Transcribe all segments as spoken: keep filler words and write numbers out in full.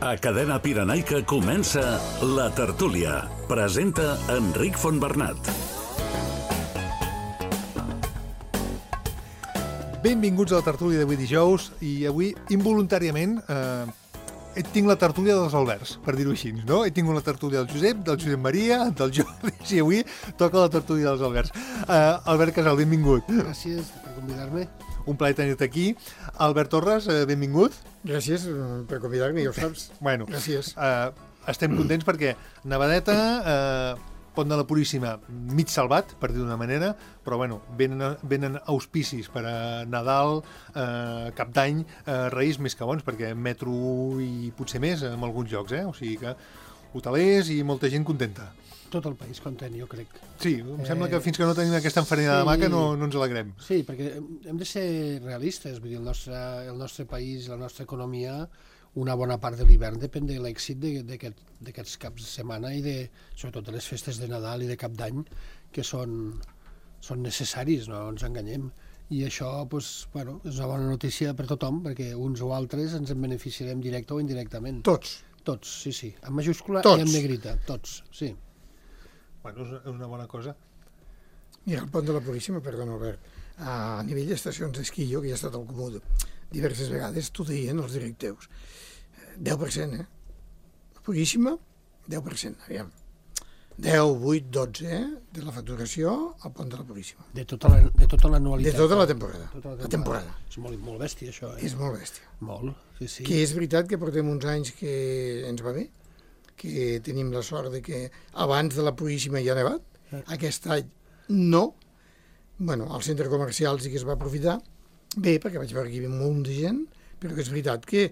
A Cadena Pirenaica comença La Tertúlia. Presenta Enric Fontbernat. Benvinguts a la tertúlia d'avui dijous, i avui, involuntàriament, eh, tinc la tertúlia dels Alberts, per dir-ho així, no? He tingut la tertúlia del Josep, del Josep Maria, del Jordi, i avui toca la tertúlia dels Alberts. Eh, Albert Casal, benvingut. Gràcies per convidar-me. Un plaer tenir-te aquí. Albert Torres, eh, benvingut. Gràcies per convidar-me, ja ho saps. Bueno, gràcies. Eh, estem contents perquè Navadeta, eh, Pont de la Puríssima, mig salvat, per dir d'una manera, però bueno, venen, venen auspicis per a Nadal, eh, Cap d'Any, eh, Reis més que bons, perquè metro i potser més en alguns llocs, eh? O sigui que hotelers i molta gent contenta. Tot el país content, jo crec. Sí, em eh, sembla que fins que no tenim aquesta enfarinada sí, de maca no, no ens alegrem. Sí, perquè hem de ser realistes, vull dir, el nostre, el nostre país, la nostra economia, una bona part de l'hivern depèn de l'èxit d'aquests aquest, caps de setmana i de, sobretot de les festes de Nadal i de Cap d'Any, que són, són necessaris, no ens enganyem. I això doncs, bueno, és una bona notícia per tothom, perquè uns o altres ens en beneficiarem directe o indirectament. Tots? Tots, sí, sí. En majúscula tots. I en negrita, tots, sí. Bueno, és una bona cosa. Mira, el Pont de la Puríssima, perdona, Albert, a nivell d'estacions d'esquí, jo que he estat al Comú diverses vegades, t'ho deien els directius. deu per cent, eh? Puríssima, deu per cent, aviam. deu, vuit, dotze, eh? De la facturació al Pont de la Puríssima. De tota la, de tota l'anualitat. De tota la temporada. Tota la temporada. La temporada. És molt, molt bèstia, això, eh? És molt bèstia. Molt, sí, sí. Que és veritat que portem uns anys que ens va bé, que tenim la sort de que abans de la Puríssima ja ha nevat, eh. Aquest any no. Bueno, al centre comercial sí que es va aprofitar, bé, perquè vaig veure que hi havia molt de gent, però que és veritat que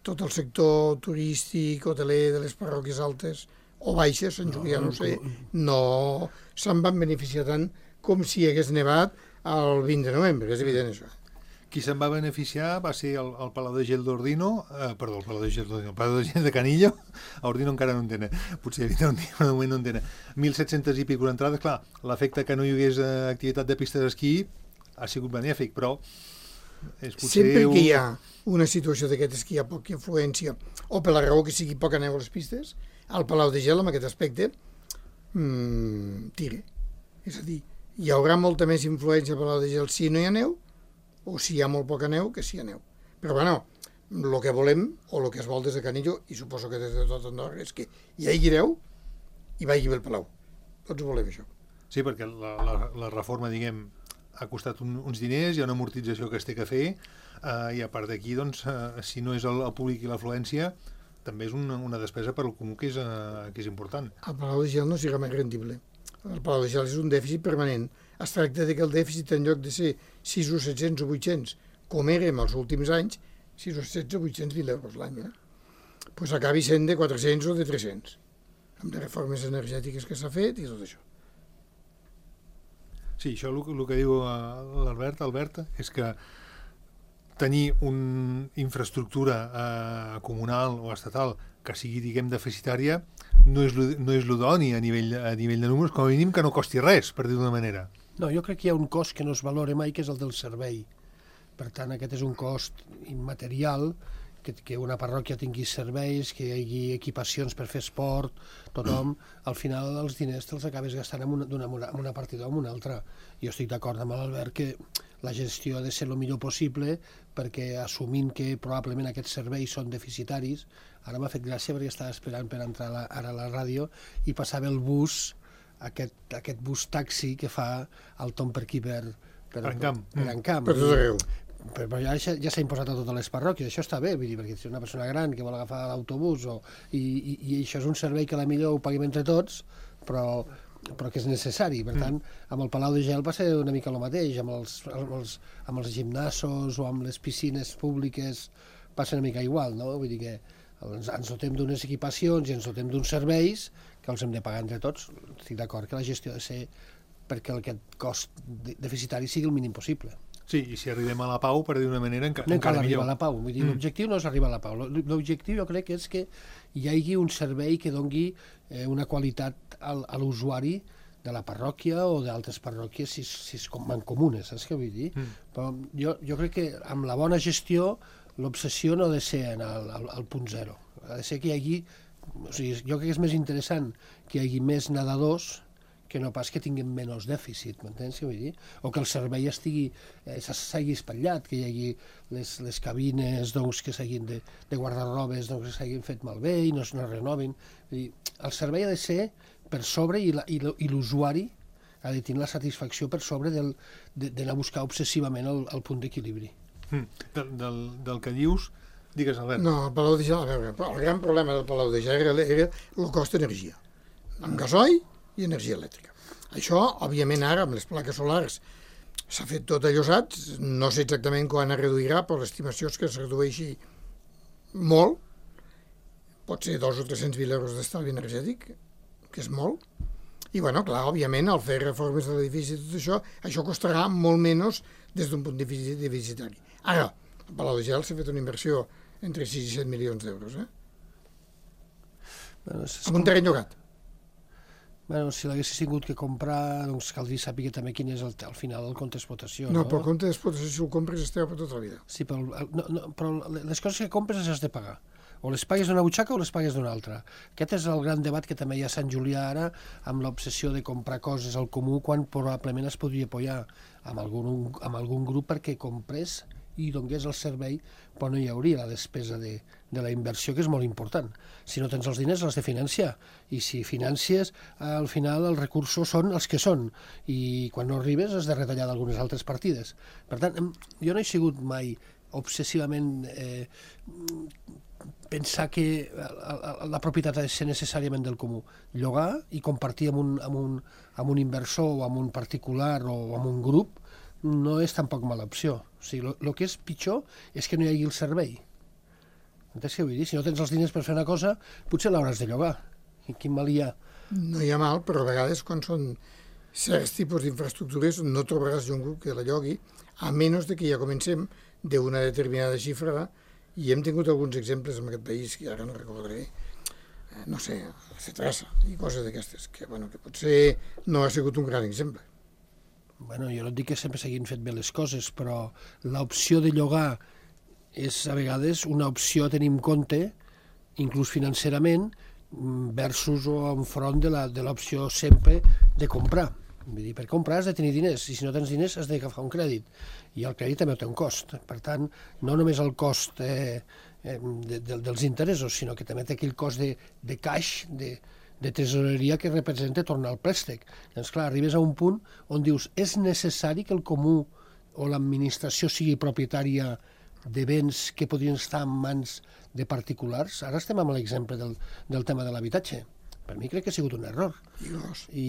tot el sector turístic, hoteler de les parròquies altes o baixes, Sant Julià, no, no sé, no se'n van beneficiar tant com si hagués nevat el vint de novembre, és evident això. Qui se'n va beneficiar va ser el, el Palau de Gel d'Ordino, eh, perdó, el Palau de Gel d'Ordino, el Palau de Gel de Canillo, a Ordino encara no en tenen, potser havia un dia, però de moment no en tenen. mil set-cents i pico entrades, clar, l'efecte que no hi hagués eh, activitat de pistes d'esquí ha sigut benèfic, però és potser... Sempre que hi ha una situació d'aquestes que hi ha poca influència, o per la raó que sigui poca neu a les pistes, el Palau de Gel, en aquest aspecte, mmm, tira. És a dir, hi haurà molta més influència al Palau de Gel si no hi ha neu, o si hi ha molt poca neu que si hi ha neu. Però bueno, el que volem, o el que es vol des de Canillo, i suposo que des de tot Andorra, és que hi hagi neu i vagi bé el Palau. Tots volem això. Sí, perquè la, la, la reforma, diguem, ha costat un, uns diners, hi ha una amortització que es té que fer, eh, i a part d'aquí, doncs, eh, si no és el, el públic i l'afluència, també és una, una despesa per al comú que és, eh, que és important. El Palau de Gel no serà més rendible. El Palau de Gel és un dèficit permanent. Es tracta de que el dèficit, en lloc de ser sis o set-cents o vuit-cents, com érem els últims anys, sis o set-cents o vuit-cents mil euros l'any, eh? Pues acabi sent de quatre-cents o de tres-cents, amb les reformes energètiques que s'ha fet i tot això. Sí, això el, el que diu l'Albert, Albert, és que tenir una infraestructura eh, comunal o estatal que sigui, diguem, deficitària no és, no és l'idoni a nivell, a nivell de números, com a mínim que no costi res, per dir d'una manera. No, jo crec que hi ha un cost que no es valora mai, que és el del servei. Per tant, aquest és un cost immaterial, que, que una parròquia tingui serveis, que hi hagi equipacions per fer esport, tothom, al final els diners te'ls acabes gastant en una, una, una partida o en una altra. Jo estic d'acord amb l'Albert que la gestió ha de ser el millor possible, perquè assumint que probablement aquests serveis són deficitaris, ara m'ha fet gràcia perquè estava esperant per entrar la, ara a la ràdio i passava el bus, aquest, aquest bus taxi que fa el Tom per aquí per, per, per Encamp. Per, per Encamp. Per tot arreu. Però ja, ja s'ha imposat a totes les parròquies, això està bé, vull dir, perquè si una persona gran que vol agafar l'autobús o, i, i, i això és un servei que a la millor ho paguem entre tots, però, però que és necessari. Per tant, amb el Palau de Gel va ser una mica el mateix, amb els, amb els, amb els gimnasos o amb les piscines públiques va ser una mica igual, no? Vull dir que ens, ens dotem d'unes equipacions i ens dotem d'uns serveis que els hem de pagar entre tots. Estic d'acord que la gestió ha de ser perquè aquest cost deficitari sigui el mínim possible. Sí, i si arribem a la pau, per dir d'una manera, enca, no encara cal millor. arribar a la pau. Vull dir, mm. L'objectiu no és arribar a la pau. L'objectiu jo crec que és que hi hagi un servei que doni eh, una qualitat al, a l'usuari de la parròquia o d'altres parròquies si, si és com mancomunes, saps què vull dir? Mm. Però jo, jo crec que amb la bona gestió l'obsessió no ha de ser en el, el, el punt zero. Ha de ser que hi hagi... O sigui, jo crec que és més interessant que hi hagi més nedadors que no pas que tinguin menys dèficit, m'entens què vull dir? O que el servei estigui, eh, s'hagi espatllat, que hi hagi les, les cabines doncs, que s'hagin de, de guardarrobes doncs, que s'hagin fet malbé i no es no renovin. Vull dir, el servei ha de ser per sobre i, la, i, i l'usuari ha de tenir la satisfacció per sobre del, de, d'anar a buscar obsessivament el, el punt d'equilibri. Mm. Del, del, del que dius, digues, Albert. No, el Palau de Gel, a veure, el gran problema del Palau de Gel era, era el cost d'energia, amb gasoil i energia elèctrica. Això, òbviament, ara, amb les plaques solars, s'ha fet tot allosat, no sé exactament quan es reduirà, però l'estimació és que es redueixi molt, pot ser dos o tres-cents mil euros d'estalvi energètic, que és molt, i, bueno, clar, òbviament, al fer reformes de l'edifici i tot això, això costarà molt menys des d'un punt de vista deficitari. Ara, al Palau de Gel s'ha fet una inversió entre sis i set milions d'euros, eh? Bueno, és... Amb un terreny llogat. Bueno, si l'haguessis tingut que comprar, doncs caldria saber també quin és el, al final el compte d'explotació. No, No, però el compte d'explotació, si el compres, esteu per tota la vida. Sí, però, el- no, no, però les coses que compres les has de pagar. O les pagues d'una butxaca o les pagues d'una altra. Aquest és el gran debat que també hi ha a Sant Julià ara, amb l'obsessió de comprar coses al comú, quan probablement es podria apoyar amb algun, amb algun grup perquè comprés i donés el servei, però no hi hauria la despesa de, de la inversió, que és molt important. Si no tens els diners, l'has de financiar. I si financies, al final els recursos són els que són. I quan no arribes has de retallar d'algunes altres partides. Per tant, em- jo no he sigut mai obsessivament eh, pensar que la, la, la propietat ha de ser necessàriament del comú. Llogar i compartir amb un, amb un, amb un inversor o amb un particular o amb un grup no és tampoc mala opció. O sigui, el que és pitjor és que no hi hagi el servei. Entens què vull dir? Si no tens els diners per fer una cosa, potser l'hauràs de llogar. I quin mal hi ha? No hi ha mal, però a vegades quan són certs tipus d'infraestructures no trobaràs un grup que la llogui, a menys de que ja comencem d'una determinada xifra, i hem tingut alguns exemples en aquest país, que ara no recordaré, eh, no sé, Cetrasa i coses d'aquestes, que, bueno, que potser no ha sigut un gran exemple. Bueno, jo no et dic que sempre s'hagin fet bé les coses, però l'opció de llogar és a vegades una opció a tenir en compte, inclús financerament, versus o enfront de la, de l'opció sempre de comprar. Vull dir, per comprar has de tenir diners, i si no tens diners has d'agafar un crèdit. I el crèdit també té un cost. Per tant, no només el cost eh, eh, de, de, dels interessos, sinó que també té aquell cost de, de caix, de, de tresoreria que representa tornar al préstec. Doncs clar, arribes a un punt on dius és necessari que el comú o l'administració sigui propietària de béns que podrien estar en mans de particulars. Ara estem amb l'exemple del, del tema de l'habitatge. Per mi crec que ha sigut un error. I gros. I,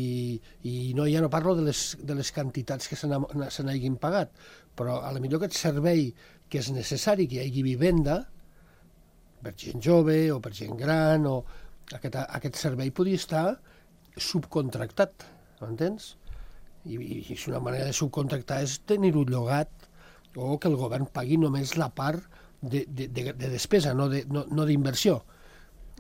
i no, ja no parlo de les, de les quantitats que se n'ha- se n'hagin pagat, però a la millor aquest servei que és necessari, que hi hagi vivenda, per gent jove o per gent gran, o aquest, aquest servei podria estar subcontractat, m'entens? I, i, i si una manera de subcontractar és tenir-ho llogat o que el govern pagui només la part de, de, de, de despesa, no de- no, no d'inversió.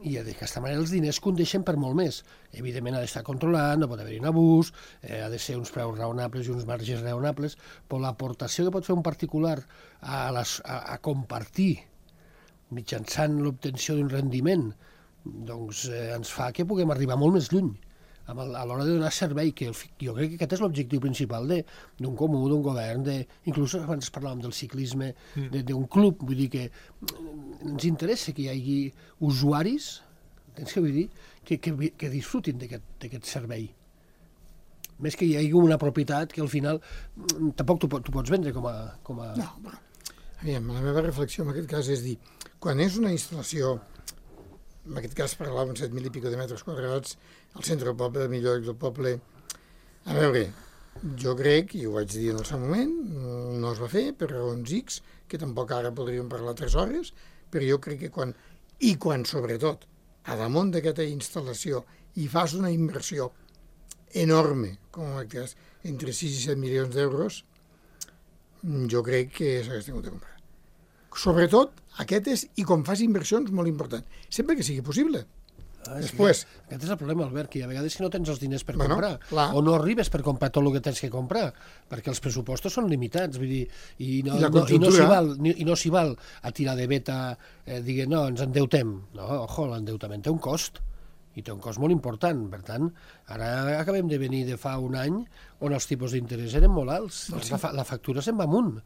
I d'aquesta manera els diners condeixen per molt més. Evidentment ha d'estar controlat, no pot haver-hi un abús, eh, ha de ser uns preus raonables i uns marges raonables, però l'aportació que pot fer un particular a, les, a, a compartir mitjançant l'obtenció d'un rendiment, doncs eh, ens fa que puguem arribar molt més lluny amb el, a l'hora de donar servei, que el, fi- jo crec que aquest és l'objectiu principal de- d'un comú, d'un govern, de, inclús abans parlàvem del ciclisme, de- d'un club, vull dir que mm, ens interessa que hi hagi usuaris, tens que vull dir, que, que, vi- que disfrutin d'aquest d'aquest servei. Més que hi hagi una propietat que al final mm, tampoc tu, pot- tu pots vendre com a... Com a... No, però, aviam, la meva reflexió en aquest cas és dir, quan és una instal·lació, en aquest cas parlàvem set mil i pico de metres quadrats, al centre del poble, al millor lloc del poble, a veure, jo crec, i ho vaig dir en el seu moment, no es va fer per raons X, que tampoc ara podríem parlar tres hores, però jo crec que quan, i quan sobretot, a damunt d'aquesta instal·lació, hi fas una inversió enorme, com en aquest cas, entre sis i set milions d'euros, jo crec que s'hagués tingut de comprar. Sobretot, aquest és, i quan fas inversions, molt important, sempre que sigui possible. Ah, Després... Sí, aquest és el problema, Albert, que a vegades si no tens els diners per bueno, comprar, clar. o no arribes per comprar tot el que tens que comprar, perquè els pressupostos són limitats, vull dir, i no, I la no, i no s'hi conjuntura. val, ni- i no s'hi val a tirar de veta, eh, diguem, no, ens endeutem. No, ojo, l'endeutament té un cost, i té un cost molt important. Per tant, ara acabem de venir de fa un any on els tipus d'interès eren molt alts. Doncs La, fa la factura se'n va amunt.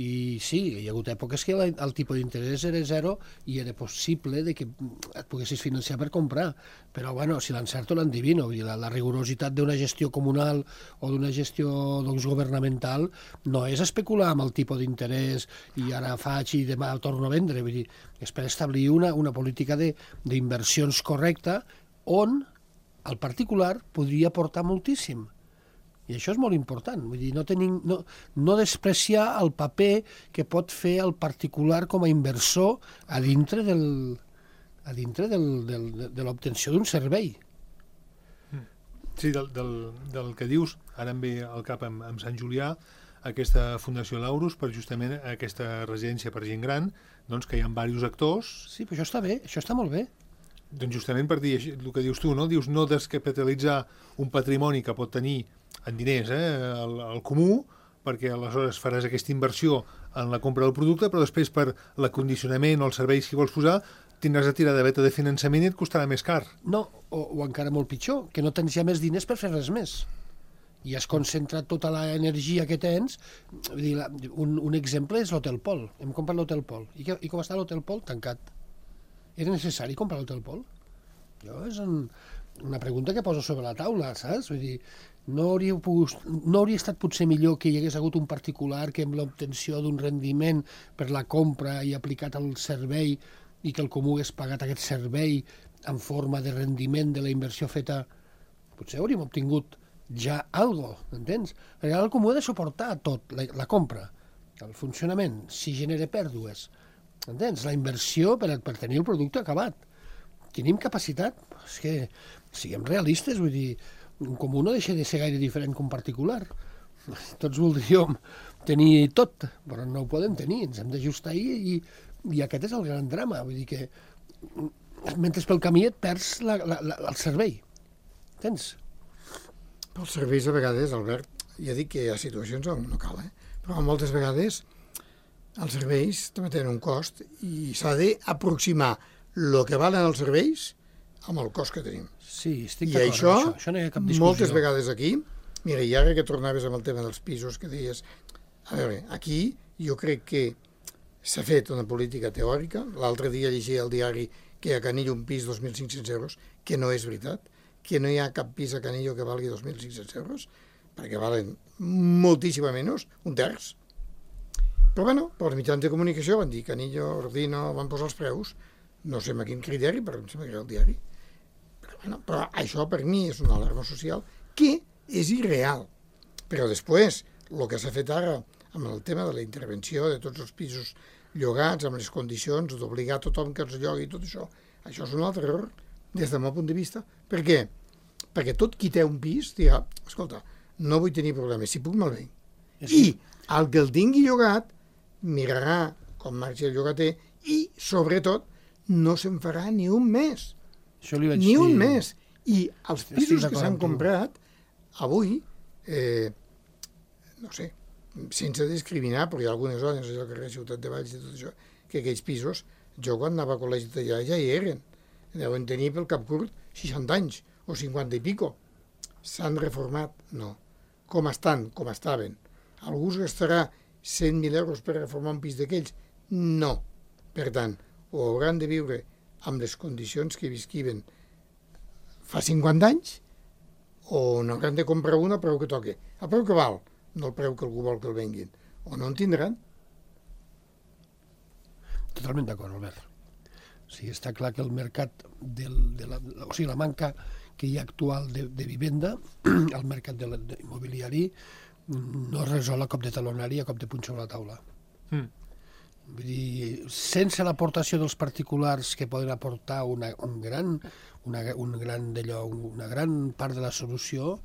I sí, hi ha hagut èpoques que la, el tipus d'interès era zero i era possible de que et poguessis financiar per comprar. Però, bueno, si l'encerto l'endivino. Vull dir, la, la rigorositat d'una gestió comunal o d'una gestió doncs, governamental no és especular amb el tipus d'interès i ara faig i demà torno a vendre. Vull dir, és per establir una, una política d'inversions correcta on el particular podria aportar moltíssim. I això és molt important. Vull dir, no, tenim, no, no despreciar el paper que pot fer el particular com a inversor a dintre, del, a dintre del, del, de l'obtenció d'un servei. Sí, del, del, del que dius, ara em ve al cap amb, amb Sant Julià, aquesta Fundació Laurus, per justament aquesta residència per gent gran, doncs que hi ha diversos actors. Sí, però això està bé, això està molt bé. Doncs justament per dir així, el que dius tu, no? Dius no descapitalitzar un patrimoni que pot tenir en diners, eh, el, el comú, perquè aleshores faràs aquesta inversió en la compra del producte, però després per l'acondicionament o els serveis que vols posar tindràs de tirar de veta de finançament i et costarà més car. No, o, o encara molt pitjor, que no tens ja més diners per fer res més. I has concentrat tota l'energia que tens. Vull dir, la, un, un exemple és l'Hotel Pol. Hem comprat l'Hotel Pol. I, que, I com està l'Hotel Pol? Tancat. Era necessari comprar l'Hotel Pol? Jo és un, una pregunta que poso sobre la taula, saps? Vull dir, no hauria, pogut, no hauria estat potser millor que hi hagués hagut un particular que amb l'obtenció d'un rendiment per la compra i aplicat al servei i que el comú hagués pagat aquest servei en forma de rendiment de la inversió feta, potser hauríem obtingut ja algo, entens? Perquè ara el comú ha de suportar tot, la, la compra, el funcionament, si genera pèrdues, entens? La inversió per, per tenir el producte acabat. Tenim capacitat? És que siguem realistes, vull dir, un comú no deixa de ser gaire diferent que un particular. Tots voldríem tenir tot, però no ho podem tenir, ens hem d'ajustar i, i, i aquest és el gran drama, vull dir que mentre pel camí et perds la, la, la, el servei, entens? Pels serveis a vegades, Albert, ja dic que hi ha situacions on no cal, eh? Però moltes vegades els serveis també tenen un cost i s'ha d'aproximar el que valen els serveis amb el cost que tenim. Sí, estic I d'acord això, amb això. Això no hi ha cap discussió. moltes vegades aquí, mira, i ara que tornaves amb el tema dels pisos que deies, a veure, aquí jo crec que s'ha fet una política teòrica. L'altre dia llegia al diari que a Canillo un pis dos mil cinc-cents euros, que no és veritat, que no hi ha cap pis a Canillo que valgui dos mil cinc-cents euros, perquè valen moltíssima menys, un terç. Però bueno, els mitjans de comunicació van dir Canillo, Ordino, van posar els preus, no sé amb quin criteri, però em sembla que era el diari. Però, bueno, però això per mi és una alarma social que és irreal. Però després, el que s'ha fet ara amb el tema de la intervenció de tots els pisos llogats, amb les condicions d'obligar tothom que els llogui i tot això, això és un altre error des del meu punt de vista. Per què? Perquè tot qui té un pis dirà, escolta, no vull tenir problemes, si puc me'l venc. I el que el tingui llogat mirarà com marxa el llogater i, sobretot, no se'n farà ni un mes. Això li vaig Ni un dir. mes. I els Estic pisos que d'acord s'han amb tu. comprat avui, eh, no sé, sense discriminar, perquè hi ha algunes zones, allò que carrer Ciutat de Valls i tot això, que aquells pisos, jo quan anava a col·legi d'allà ja hi eren. Deuen tenir pel cap curt seixanta anys, o cinquanta i pico. S'han reformat? No. Com estan? Com estaven. Algú es gastarà cent mil euros per reformar un pis d'aquells? No. Per tant, o hauran de viure amb les condicions que visquiven fa cinquanta anys, o n'hauran de comprar una a preu que toque. A preu que val, no el preu que algú vol que el venguin. O no en tindran. Totalment d'acord, Albert. O sigui, està clar que el mercat, del, de la, o sigui, la manca que hi ha actual de, de vivenda, el mercat de, de immobiliari, no es resol a cop de talonari, a cop de punxó a la taula. Mm. Vull dir, sense l'aportació dels particulars que poden aportar una, un gran, una, un gran d'allò, una gran part de la solució,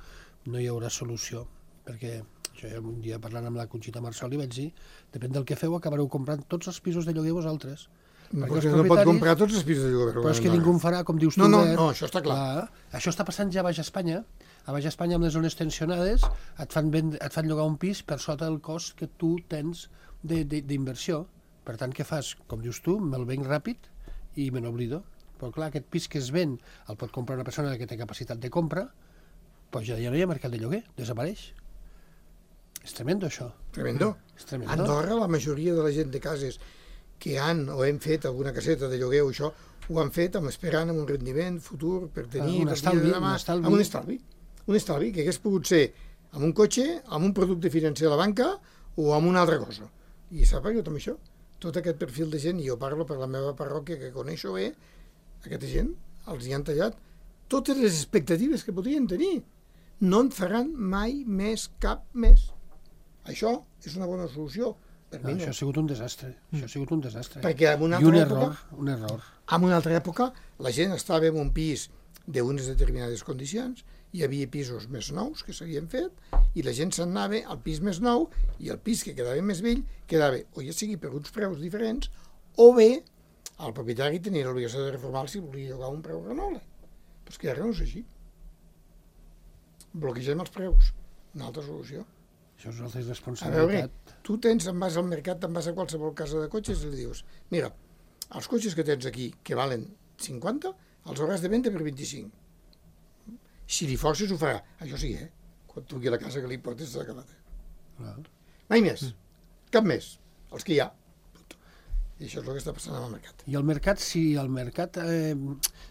no hi haurà solució. Perquè això ja un dia parlant amb la Conxita Marçal li vaig dir, depèn del que feu acabareu comprant tots els pisos de lloguer vosaltres. No, Perquè els perquè no pot propietaris- comprar tots els pisos de lloguer. Però és que ningú en farà, com dius tu, No, no, Albert. no, això està clar. Això està passant ja a Baix Espanya. A Baix Espanya, amb les zones tensionades, et fan, vend... et fan llogar un pis per sota del cost que tu tens d'inversió. Per tant, què fas? Com dius tu, me'l venc ràpid i me n'oblido. Però clar, aquest pis que es ven el pot comprar una persona que té capacitat de compra, doncs ja no hi ha mercat de lloguer, desapareix. És tremendo, això. Tremendo. És tremendo. A Andorra, la majoria de la gent de cases que han o hem fet alguna caseta de lloguer o això, ho han fet amb esperant amb un rendiment futur per tenir... Un per estalvi, dia de demà, un estalvi. Amb un estalvi. Un estalvi que hagués pogut ser amb un cotxe, amb un producte financer a la banca o amb una altra cosa. I s'ha pagat amb això. Tot aquest perfil de gent, i jo parlo per la meva parròquia que coneixo bé, aquesta gent els hi han tallat totes les expectatives que podien tenir. No en faran mai més cap més. Això és una bona solució. Per No, mi això no. ha sigut un desastre. Això ha sigut un desastre. Perquè en una I un altra error, època, un error. en una altra època, la gent estava en un pis d'unes determinades condicions, hi havia pisos més nous que s'havien fet, i la gent se'n anava al pis més nou, i el pis que quedava més vell quedava, o ja sigui per uns preus diferents, o bé el propietari tenia l'obligació de reformar si volia llogar un preu renoble. Però és que ara no és així. Bloquegem els preus. Una altra solució. Això és una altra A veure, responsabilitat. tu tens, en vas al mercat, te'n vas a qualsevol casa de cotxes i li dius, mira, els cotxes que tens aquí, que valen cinquanta, els hauràs de vendre per vint-i-cinc. Si li forces ho farà. Això sí, eh? Quan truqui a la casa que li portes s'ha acabat. Clar. Mai més. Cap més. Els que hi ha. Punto. I això és el que està passant amb el mercat. I el mercat, si el mercat eh,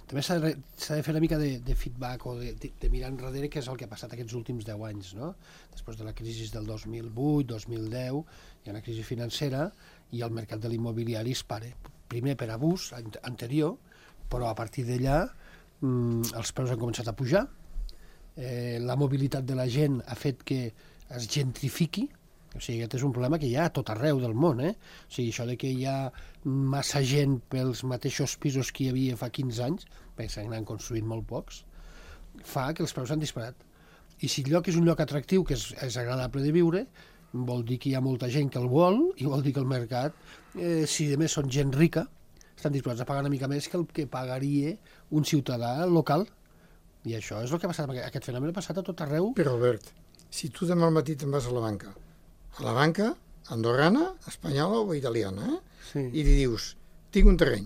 també s'ha de, s'ha de fer una mica de, de feedback o de, de, de mirar enrere què és el que ha passat aquests últims deu anys, no? Després de la crisi del dos mil vuit, dos mil deu, hi ha una crisi financera i el mercat de l'immobiliari es pare. Primer per abús an- anterior, però a partir d'allà mm, els preus han començat a pujar, eh, la mobilitat de la gent ha fet que es gentrifiqui. O sigui, aquest és un problema que hi ha a tot arreu del món, eh? O sigui, això de que hi ha massa gent pels mateixos pisos que hi havia fa quinze anys, perquè se n'han construït molt pocs, fa que els preus s'han disparat. I si el lloc és un lloc atractiu, que és, és agradable de viure, vol dir que hi ha molta gent que el vol i vol dir que el mercat, eh, si a més són gent rica, estan disposats a pagar una mica més que el que pagaria un ciutadà local. I això és el que ha passat. Aquest fenomen ha passat a tot arreu. Però, Albert, si tu demà al matí te'n vas a la banca, a la banca andorrana, espanyola o italiana, eh? Sí. i li dius, tinc un terreny,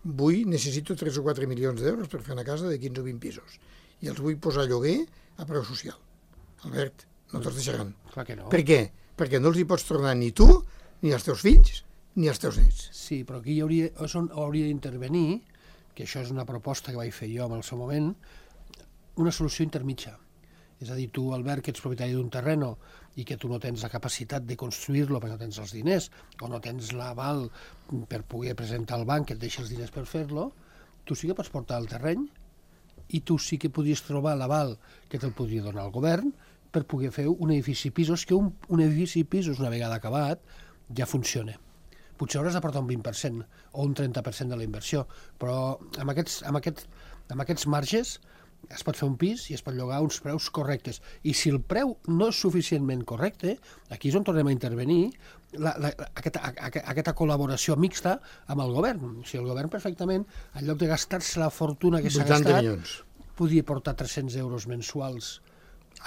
vull, necessito tres o quatre milions d'euros per fer una casa de quinze o vint pisos, i els vull posar a lloguer a preu social. Albert, no te'ls deixaran. Clar que no. Per què? Perquè no els hi pots tornar ni tu, ni els teus fills, ni els teus nets. Sí, però aquí hi hauria, és on hauria d'intervenir, que això és una proposta que vaig fer jo en el seu moment, una solució intermitja. És a dir, tu, Albert, que ets propietari d'un terreno i que tu no tens la capacitat de construir-lo perquè no tens els diners o no tens l'aval per poder presentar al banc que et deixi els diners per fer-lo, tu sí que pots portar el terreny i tu sí que podries trobar l'aval que te'l podria donar el govern per poder fer un edifici pisos, que un, un edifici pisos, una vegada acabat, ja funciona. Potser hauràs d'aportar un vint per cent o un trenta per cent de la inversió, però amb aquests, amb aquest, amb aquests marges es pot fer un pis i es pot llogar a uns preus correctes. I si el preu no és suficientment correcte, aquí és on tornem a intervenir la, la, aquesta, a, aquesta col·laboració mixta amb el govern. O sigui, el govern perfectament, en lloc de gastar-se la fortuna que s'ha vuitanta gastat, milions. podia portar tres-cents euros mensuals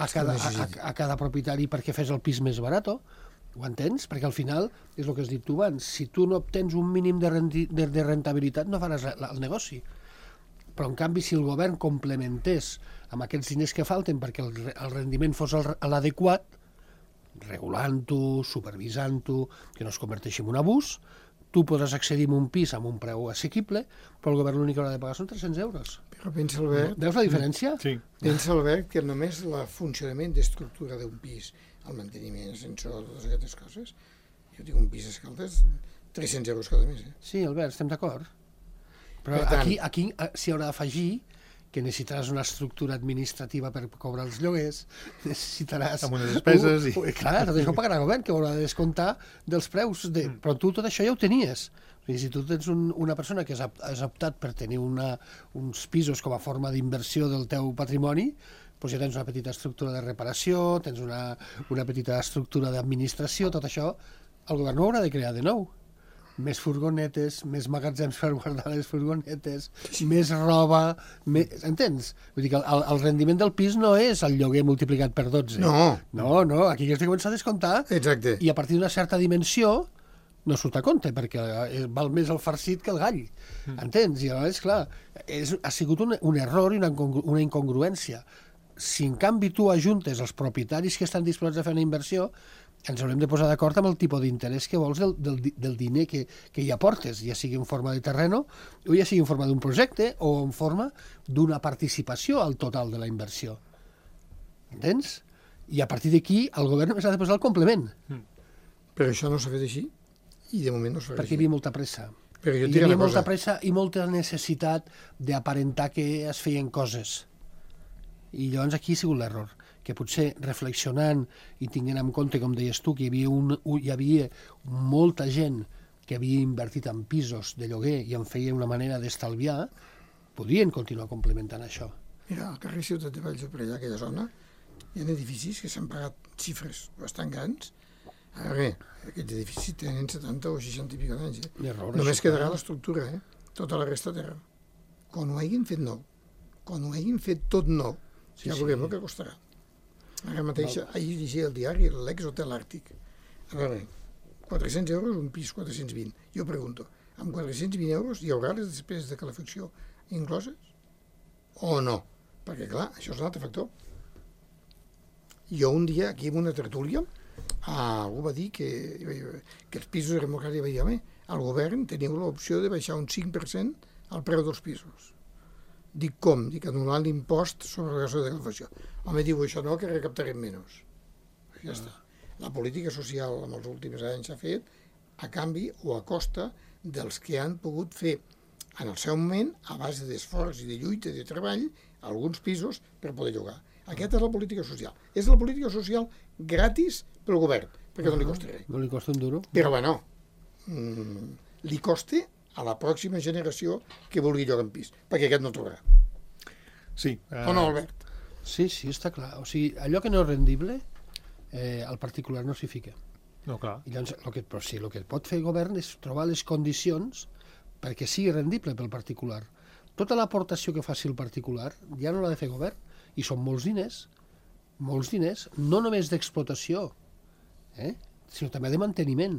a cada, a, a, a cada propietari perquè fes el pis més barat. Ho entens? Perquè al final, és el que has dit tu abans, si tu no obtens un mínim de, rendi, de, de rentabilitat no faràs la, el negoci. Però, en canvi, si el govern complementés amb aquests diners que falten perquè el, el rendiment fos l'adequat, regulant-ho, supervisant-ho, que no es converteixi en un abús, tu podràs accedir a un pis amb un preu assequible, però el govern l'únic que haurà de pagar són tres-cents euros. Però pensa, Albert, Veus la diferència? Sí. pensa, Albert, que només el funcionament d'estructura d'un pis, el manteniment, ascensor, totes aquestes coses, jo tinc un pis a Escaldes, tres-cents euros cada mes. Eh? Sí, Albert, estem d'acord. Però Per tant- aquí, aquí s'hi haurà d'afegir que necessitaràs una estructura administrativa per cobrar els lloguers, necessitaràs... Amb unes despeses i- Uh, clar, tot això ho pagarà el govern, que haurà de descomptar dels preus. De... Però tu tot això ja ho tenies. O sigui, si tu tens un, una persona que has, has optat per tenir una, uns pisos com a forma d'inversió del teu patrimoni, doncs ja tens una petita estructura de reparació, tens una, una petita estructura d'administració, tot això el govern no ho haurà de crear de nou. més furgonetes, més magatzems per guardar les furgonetes, més roba... Més... Entens? Vull dir que el, el rendiment del pis no és el lloguer multiplicat per dotze. No. No, no, aquí has de començar a descomptar. Exacte. I a partir d'una certa dimensió no surt a compte, perquè val més el farcit que el gall. Mm. Entens? I llavors, clar, és, ha sigut un, un error i una, una incongruència. Si en canvi tu ajuntes els propietaris que estan disposats a fer una inversió, ens haurem de posar d'acord amb el tipus d'interès que vols del, del, del diner que, que hi aportes, ja sigui en forma de terreno, o ja sigui en forma d'un projecte, o en forma d'una participació al total de la inversió. Entens? I a partir d'aquí el govern només ha de posar el complement. Mm. Però això no s'ha fet així, i de moment no s'ha fet perquè hi havia molta pressa. Però jo hi havia molta pressa i molta necessitat d'aparentar que es feien coses. I llavors aquí ha sigut l'error, que potser reflexionant i tinguent en compte, com deies tu, que hi havia, un, hi havia molta gent que havia invertit en pisos de lloguer i en feia una manera d'estalviar, podrien continuar complementant això. Mira, al carrer Ciutat de Valls, per allà, aquella zona, hi ha edificis que s'han pagat xifres bastant grans. Ara bé, aquests edificis tenen setanta o seixanta i pico d'anys. Eh? Error, Només això, quedarà l'estructura, eh? Tota la resta terra. Quan ho hagin fet nou, quan ho hagin fet tot nou, sí, ja veurem sí. el que costarà. Ara mateix, Val. ahir llegia el diari l'ex-hotel Àrtic. A veure, quatre-cents euros un pis, quatre-cents vint. Jo pregunto, amb quatre-cents vint euros hi haurà les despeses de calefacció incloses? O no? Perquè, clar, això és un altre factor. Jo un dia, aquí en una tertúlia, ah, algú va dir que, que els pisos de democràcia va dir, home, el govern teniu l'opció de baixar un cinc per cent al preu dels pisos. Dic, com? Dic, anul·lant l'impost sobre la gasto de calefacció. Home, diu, això no, que recaptarem menys. Ja està. La política social en els últims anys s'ha fet a canvi o a costa dels que han pogut fer en el seu moment, a base d'esforç i de lluita i de treball, alguns pisos per poder llogar. Aquesta és la política social. És la política social gratis pel govern, perquè no li costa res. No li costa un duro. Però, bueno, mmm, li costa a la pròxima generació que vulgui llogar en pis, perquè aquest no trobarà. Sí. Uh... O no, Albert? Sí, sí, està clar. O sigui, allò que no és rendible, eh, el particular no s'hi fica. No, clar. I llavors, el que, però sí, el que pot fer el govern és trobar les condicions perquè sigui rendible pel particular. Tota l'aportació que faci el particular ja no l'ha de fer el govern, i són molts diners, molts diners, no només d'explotació, eh? sinó també de manteniment.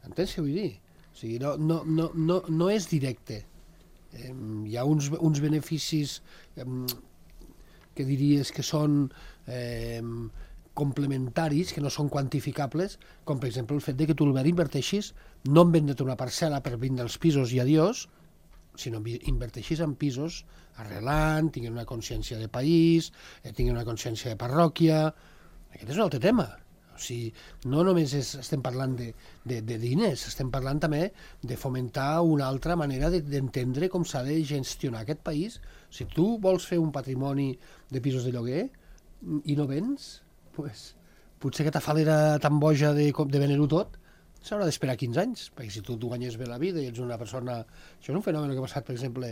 Entens què vull dir? O sigui, no, no, no, no, no és directe. Eh, hi ha uns, uns beneficis eh, que diries que són eh, complementaris, que no són quantificables, com per exemple el fet de que tu, Albert, inverteixis no en vendre una parcel·la per vindre als pisos i adiós, sinó inverteixis en pisos arrelant, tinguin una consciència de país, eh, tinguin una consciència de parròquia. Aquest és un altre tema. O sigui, no només és, estem parlant de, de, de diners, estem parlant també de fomentar una altra manera d'entendre com s'ha de gestionar aquest país. Si tu vols fer un patrimoni de pisos de lloguer i no vens, pues, potser aquesta falera tan boja de, de vendre-ho tot s'haurà d'esperar quinze anys, perquè si tu, tu guanyes bé la vida i ets una persona... Això és un fenomen que ha passat, per exemple,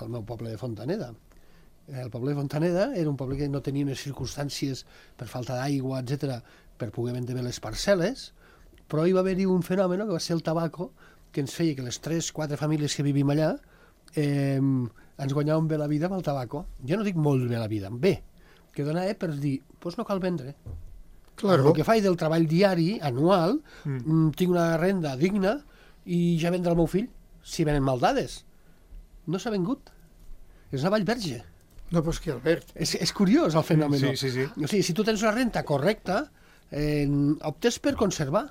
al meu poble de Fontaneda. El poble de Fontaneda era un poble que no tenia unes circumstàncies per falta d'aigua, etcètera, per poder vendre bé les parcel·les, però hi va haver-hi un fenomen que va ser el tabaco, que ens feia que les tres, quatre famílies que vivim allà eh, ens guanyàvem bé la vida amb el tabaco. Jo no dic molt bé la vida, bé, que donava per dir, doncs no cal vendre. Claro. El que faig del treball diari, anual, mm. tinc una renda digna i ja vendrà el meu fill, si venen mal dades. No s'ha vengut. És una vallverge. No, però és que, Albert... És, és curiós el fenomen. Sí, sí, sí. O sigui, si tu tens una renta correcta, eh, optes per conservar,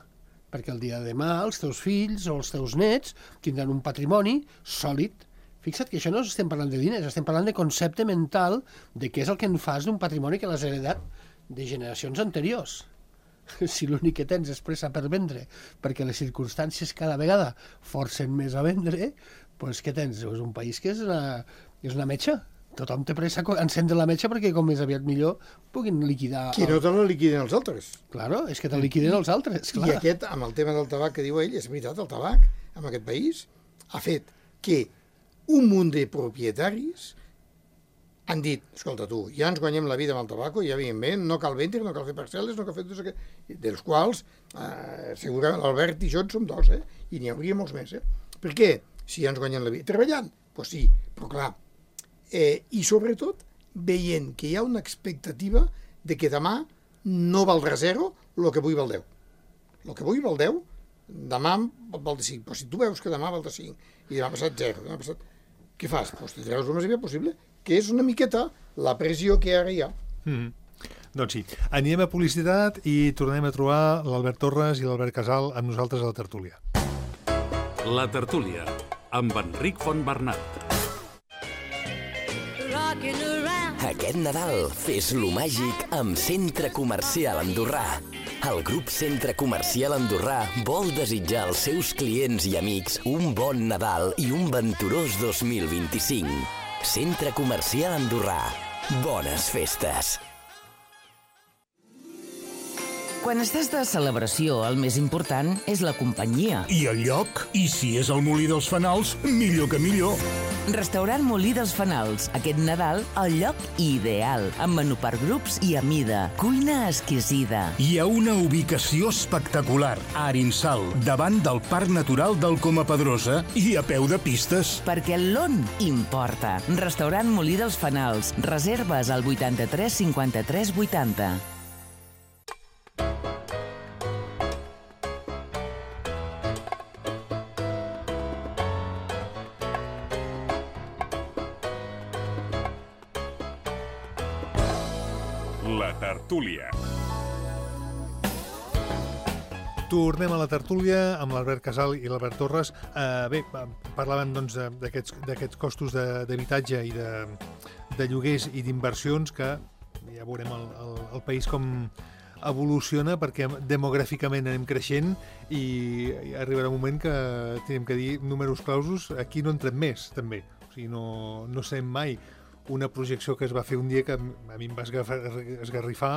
perquè el dia de demà els teus fills o els teus nets tindran un patrimoni sòlid. Fixa't que això no estem parlant de diners, estem parlant de concepte mental de què és el que en fas d'un patrimoni que l'has heredat de generacions anteriors. Si l'únic que tens és pressa per vendre, perquè les circumstàncies cada vegada forcen més a vendre, doncs què tens? És un país que és una, és una metxa. Tothom té pressa a encendre la metxa perquè com més aviat millor puguin liquidar... Que no te la liquiden els altres. Claro, és que te liquiden els altres, clar. I aquest, amb el tema del tabac que diu ell, és veritat, el tabac, en aquest país, ha fet que un munt de propietaris han dit, escolta tu, ja ens guanyem la vida amb el tabaco, ja veiem bé, no cal vendre, no cal fer parcel·les, no cal fer tots aquests, dels quals eh, segurament l'Albert i jo en som dos, eh? I n'hi hauria molts més. Eh? Per què? Si ja ens guanyem la vida. Treballant? Doncs pues sí, però clar. Eh, I sobretot veient que hi ha una expectativa de que demà no valdrà zero el que avui val deu. El que avui val deu, demà val de cinc. Però si tu veus que demà val de cinc i demà passat zero, demà passat... què fas? Doncs te treus el més aviat possible, que és una miqueta la pressió que ara hi ha. Mm. Doncs sí, anirem a publicitat i tornem a trobar l'Albert Torres i l'Albert Casal amb nosaltres a la tertúlia. La tertúlia, amb Enric Fontbernat. Aquest Nadal fes-lo màgic amb Centre Comercial Andorrà. El grup Centre Comercial Andorrà vol desitjar als seus clients i amics un bon Nadal i un venturós dos mil vint-i-cinc. Centre Comercial Andorrà. Bones festes! Quan estàs de celebració, el més important és la companyia. I el lloc? I si és el Molí dels Fanals, millor que millor. Restaurant Molí dels Fanals. Aquest Nadal, el lloc ideal. Amb menú per grups i a mida. Cuina exquisida. Hi ha una ubicació espectacular. A Arinsal, davant del Parc Natural del Coma Pedrosa i a peu de pistes. Perquè l'on importa. Restaurant Molí dels Fanals. Reserves al vuitanta-tres cinquanta-tres vuitanta. La tertúlia. Tornem a la tertúlia amb l'Albert Casal i l'Albert Torres. Uh, bé, parlaven doncs, d'aquests d'aquests costos d'habitatge i de, de lloguers i d'inversions que ja veurem el, el, el país com evoluciona perquè demogràficament anem creixent i, i arribarà un moment que tenim que dir números clausos, aquí no entrem més també, o sigui, no, no sabem mai. Una projecció que es va fer un dia que a mi em va esgarrifar,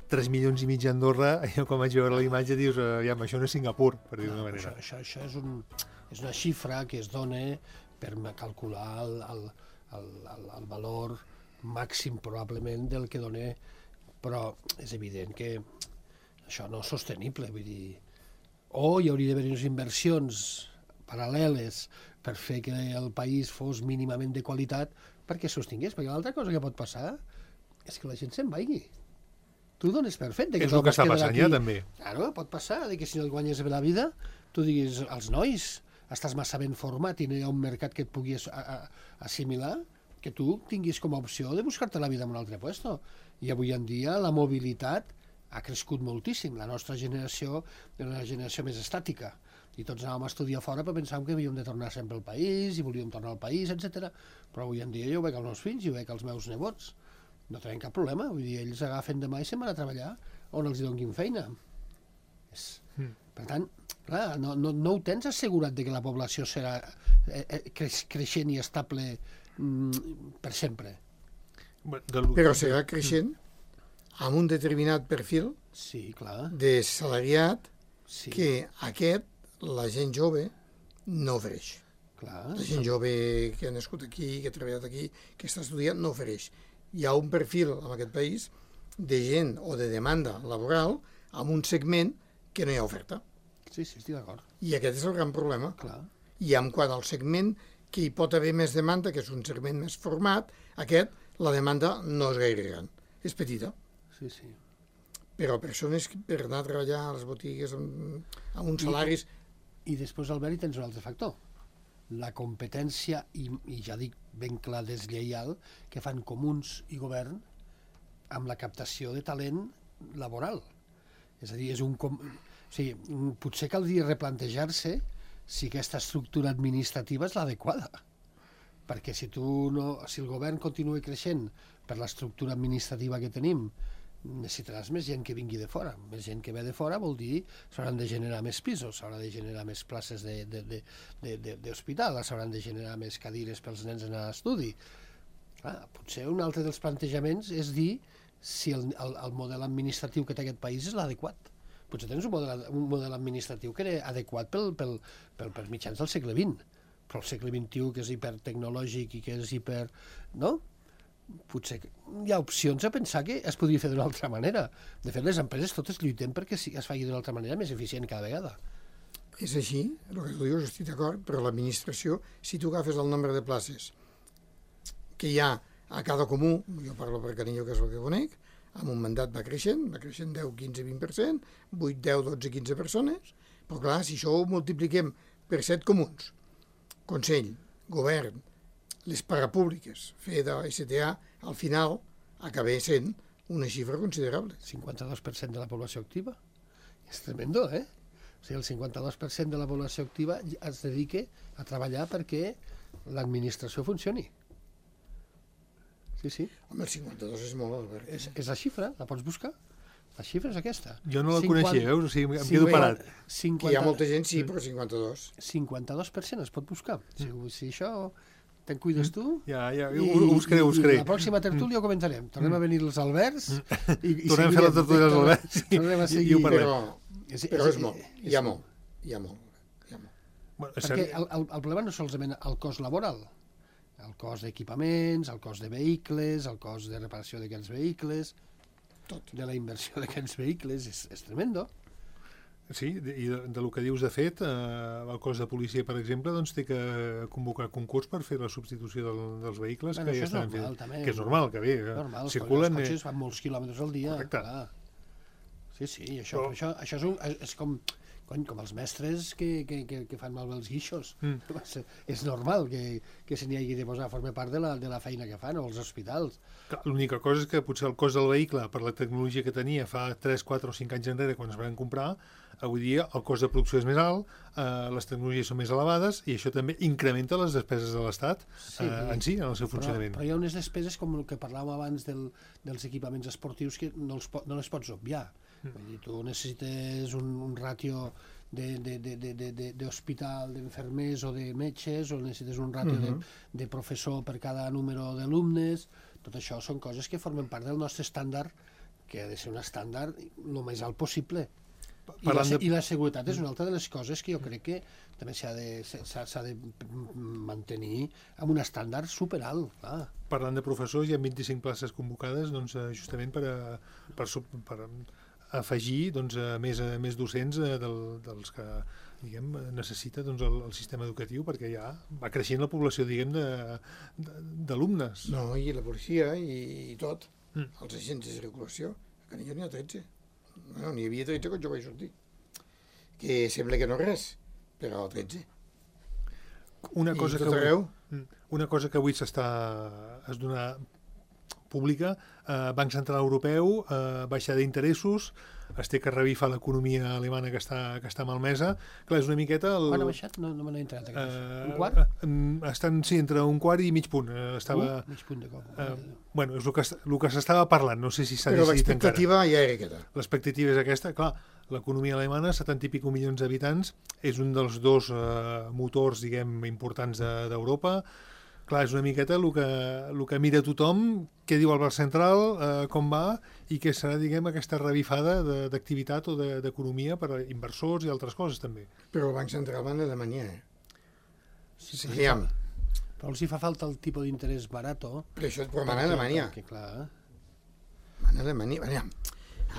tres milions i mig a Andorra, i quan vaig veure la imatge dius, ja, això no és Singapur, per dir d'una manera. Això, això, això és, un, és una xifra que es dona per calcular el, el, el, el, el valor màxim probablement del que dona, però és evident que això no és sostenible, vull dir, o hi hauria d'haver unes inversions paral·leles per fer que el país fos mínimament de qualitat perquè sostingués, perquè l'altra cosa que pot passar és que la gent se'n vagi. Tu dones per fet. És el que està passant ja, també. Claro, pot passar, de que si no et guanyes bé la vida, tu diguis, als nois, estàs massa ben format i no hi ha un mercat que et pugui assimilar, que tu tinguis com a opció de buscar-te la vida en un altre puesto. I avui en dia la mobilitat ha crescut moltíssim. La nostra generació és una generació més estàtica. I tots anàvem a estudiar fora però pensàvem que havíem de tornar sempre al país i volíem tornar al país, etcètera. Però avui en dia jo ho veig als meus fills i ho veig als meus nebots. No tenen cap problema, vull dir, ells agafen demà i se'n van a treballar on els donin feina. És... Mm. Per tant, clar, no, no, no ho tens assegurat de que la població serà eh, creix, creixent i estable mm, per sempre. Però serà creixent amb un determinat perfil sí, clar. De salariat sí. Que aquest la gent jove no ofereix. Clar, la gent jove que ha nascut aquí, que ha treballat aquí, que està estudiant, no ofereix. Hi ha un perfil en aquest país de gent o de demanda laboral amb un segment que no hi ha oferta. Sí, sí, estic d'acord. I aquest és el gran problema. Clar. I en quant al segment que hi pot haver més demanda, que és un segment més format, aquest, la demanda no és gaire gran, és petita. Sí, sí. Però persones per anar a treballar a les botigues amb, amb uns salaris... I, i després, Albert, hi tens un altre factor. La competència, i, i ja dic ben clar deslleial, que fan comuns i govern amb la captació de talent laboral. És a dir, és un... Com... O sigui, potser caldria replantejar-se si aquesta estructura administrativa és l'adequada. Perquè si, tu no, si el govern continua creixent per l'estructura administrativa que tenim, necessitaràs més gent que vingui de fora. Més gent que ve de fora vol dir s'hauran de generar més pisos, s'hauran de generar més places d'hospital, s'hauran de generar més cadires pels nens a anar a estudi. Ah, potser un altre dels plantejaments és dir si el, el, el model administratiu que té aquest país és l'adequat. Potser tens un model, un model administratiu que era adequat pel, pel, pel, per mitjans del segle vint, però el segle vint-i-u, que és hipertecnològic i que és hiper... no? potser hi ha opcions a pensar que es podria fer d'una altra manera. De fet, les empreses totes lluitem perquè es faci d'una altra manera més eficient cada vegada. És així, el que tu dius, estic d'acord, però l'administració, si tu agafes el nombre de places que hi ha a cada comú, jo parlo per Canillo, que és el que conec, amb un mandat va creixent, va creixent deu, quinze, vint per cent, vuit, deu, dotze, quinze persones, però clar, si això ho multipliquem per set comuns, Consell, Govern, les parapúbliques, FEDA, S T A, al final acaba sent una xifra considerable. cinquanta-dos per cent de la població activa. És tremendo, eh? O sigui, el cinquanta-dos per cent de la població activa es dedica a treballar perquè l'administració funcioni. Sí, sí. Home, el cinquanta-dos és molt, Albert. És, és la xifra, la pots buscar? La xifra és aquesta. Jo no la cinquanta coneixia, veus? O sigui, em cinquanta quedo parat. cinquanta Que hi ha molta gent, sí, però cinquanta-dos. cinquanta-dos per cent es pot buscar. Si, si això te'n cuides tu... Ja, ja, ho, ho buscaré, ho buscaré. I la pròxima tertúlia ho comentarem. Tornem a venir els Alberts i, i Tornem a fer la tertúlia dels Alberts tornem a i, seguir. i ho parlem. Però, És- però és- és molt, hi ha molt, hi ha molt, hi ha molt. Bueno, és Perquè cert- el, el, el problema no és solament el cost laboral, el cost d'equipaments, el cost de vehicles, el cost de reparació d'aquests vehicles, Tot. de la inversió d'aquests vehicles, és, és tremendo. Sí, de- i de, de lo que dius, de fet, eh, el cos de policia, per exemple, doncs té que convocar concurs per fer la substitució del, dels vehicles Bueno, que això ja és estan normal, fent. també. Que és normal, que bé, eh, Normal, circulen... els eh, cotxes fan molts quilòmetres al dia. Correcte. Clar. Sí, sí, i això, Però- això, això és, un, és com, cony, com els mestres que, que, que, que fan malbé els guixos. Mm. És, és normal que, que se n'hi hagi de posar a formar part de la, de la feina que fan, o els hospitals. Clar, l'única cosa és que potser el cost del vehicle, per la tecnologia que tenia fa tres, quatre o cinc anys enrere, quan es van comprar, avui dia el cost de producció és més alt, eh, les tecnologies són més elevades i això també incrementa les despeses de l'Estat Sí. eh, en si, en el seu Però, funcionament. però hi ha unes despeses, com el que parlàvem abans del, dels equipaments esportius, que no, els, po- no les pots obviar. Mm. Vull dir, tu necessites un, un ràtio d'hospital, de, de, de, de, d'hospital, d'infermers o de metges, o necessites un ràtio Mhm. de, de professor per cada número d'alumnes. Tot això són coses que formen part del nostre estàndard, que ha de ser un estàndard el més alt possible. I la, Parlant de- I la seguretat és una altra de les coses que jo crec que també s'ha de, s'ha, s'ha de mantenir amb un estàndard superalt. Clar. Parlant de professors, hi ha vint-i-cinc places convocades doncs, eh, justament per, a, per, sub- per afegir doncs, a més, a més docents eh, del, dels que diguem, necessita doncs, el, el sistema educatiu, perquè ja va creixent la població diguem, de- de- d'alumnes. No, i la policia i, i tot, Mm. els agents de circulació. A Canillo n'hi ha tretze. Bueno, n'hi havia tretze quan jo vaig sortir. Que sembla que no res, però tretze. Una cosa, I que tot avui, arreu. Mm. una cosa que avui s'està es dona pública, eh, Banc Central Europeu, eh, baixada d'interessos, es té que revifar l'economia alemana que està, que està malmesa. Clar, és una miqueta... El, Quan ha baixat? No, no me n'he entrat. eh, Un quart? eh, estan, sí, entre un quart i mig punt. Eh, estava... Uh, mig punt de cop. Eh, bueno, és el que, est- el que s'estava parlant, no sé si s'ha Però decidit encara. l'expectativa ja era aquesta. L'expectativa és aquesta, clar, l'economia alemana, setanta i pico milions d'habitants, és un dels dos eh, motors, diguem, importants de- d'Europa. Clar, és una miqueta el que, el que mira tothom, què diu el Banc Central, eh, com va, i què serà, diguem, aquesta revifada de- d'activitat o de- d'economia per a inversors i altres coses, també. Però el Banc Central va a Alemanya, eh? Sí, Sí, però, aviam. però els hi fa falta el tipus d'interès barato. Però això és per mana a Alemanya. Perquè, clar, Mana a Alemanya, aviam.